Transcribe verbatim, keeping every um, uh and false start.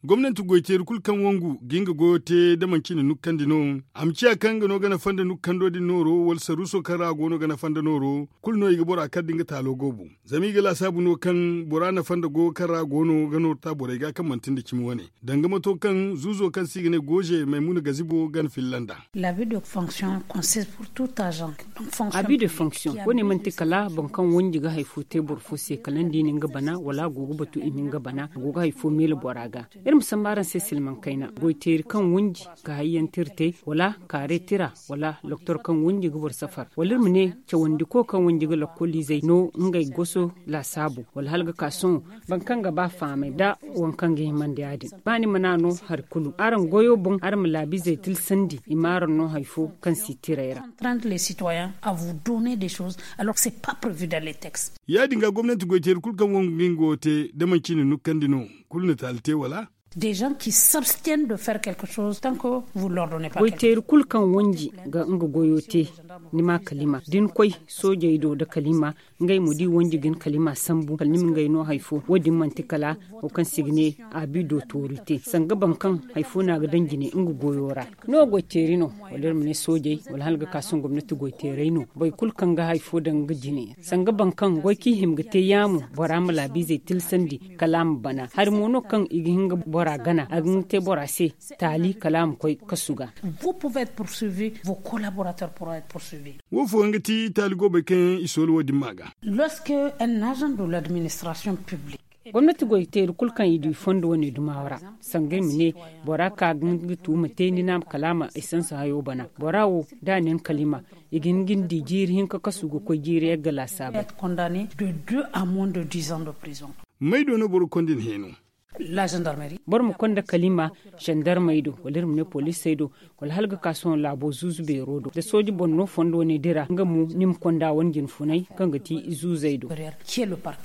Gomnanti goyteeri kulu kaŋ wangu ga nga goyo te da manci na nukkandi no, a ma ciya kaŋ nga no ga nafa nda nukkando din nooro wala saruuso kaŋ ra a go no ga nafa nda nooro, kulu no i ga bora kar da nga taalo goobu. Zama i ga laasaabu no kaŋ bora nafa nda goyo kaŋ ra a go no ga nooro ta borey ga kaŋ manti nda cimi wane, danga mato kaŋ zuuzo kaŋ se i ga ne gooze maymuna gazibo gana filla nd'a. Abi de fonction wane manti kala boro kaŋ wanji ga hari fo te boro fo se kala ni di ni nga bana wala a go ga batu i ma nga bana a go ga hari fo meele bora ga. Iri ma samba araŋ se silmaŋ kayna goyteeri kaŋ wanji ga hari yaŋ tira te wala kaare tira wala doktor kaŋ wanji ga boro safar wala iri ma ne cawandiko kaŋ wanji ga lakkoliizey no ngey goso laasaabu wala hala ga ka sohõ boro kaŋ ga ba faamay nda waŋ kaŋ ga himandi ya- din ba ni mana no hari kulu araŋ goyo boŋ araŋ ma laabiizey tilsandi i ma araŋ no hari fo kaŋ si tiray ra. Ya- din ga gomnanti goyteeri kulu kaŋ wangu ga nga wo te da manci na nukkandi no kulu na taali te wala? Des gens qui s'abstiennent de faire quelque chose tant que vous l'ordonnez pas. Goyteeri kulu kaŋ wanji ga nga goyo te, ni ma kalima da ni koy soojey do nda kalima, ngey mo da i wanji ga ni kalima sambu kala ni ma ngey no hari fo wo- din manti kala wo kaŋ se i ga ne abi d'autorité sanga boro kaŋ hari fo no a ga daŋ jine nga goyo ra. No goyteeri no wala iri ma ne soojey wala hala ga ka sohõ gomnati goyteerey no boro kulu kaŋ ga hari fo daŋ nga jine sanga boro kaŋ goy kaŋ i hima ga te yaamo bora ma laabiizey tilsandi kala a ma bana hari mo no kaŋ i ga hin ga bora gana a ga hin ga te bora se taali kala a ma koy kasu ga. Vous pouvez être poursuivi, vos collaborateurs pourront être poursuivis. Wo fo yaŋ ga ti taali goobey kaŋ yaŋ i sooli wo- din ma ga. Lorsque un agent de l'administration publique gomnati goyteeri kulu kaŋ i du i fondo wane dumawa ra sanga i ma ne bora ka ga nga tuuma te ni na kala a ma essence hayo bana bora wo da a ne ni kalima i ga hin ga ni di jiiri hinka kasu ga koy jiiri yagga laasaabey. Être condamné de deux à moins de dix ans de prison. May do no boro konda ni heeno? La gendarmerie. Boro ma konda kalima gendarmey do wala iri ma ne poliisey do wala hala ga ka sohõ laabo zuuzu beero do da sooji boŋ no fondo ne dira nga mo ni ma konda wane jinfunay kaŋ ga ti zuuzey do. Qui est le parquet?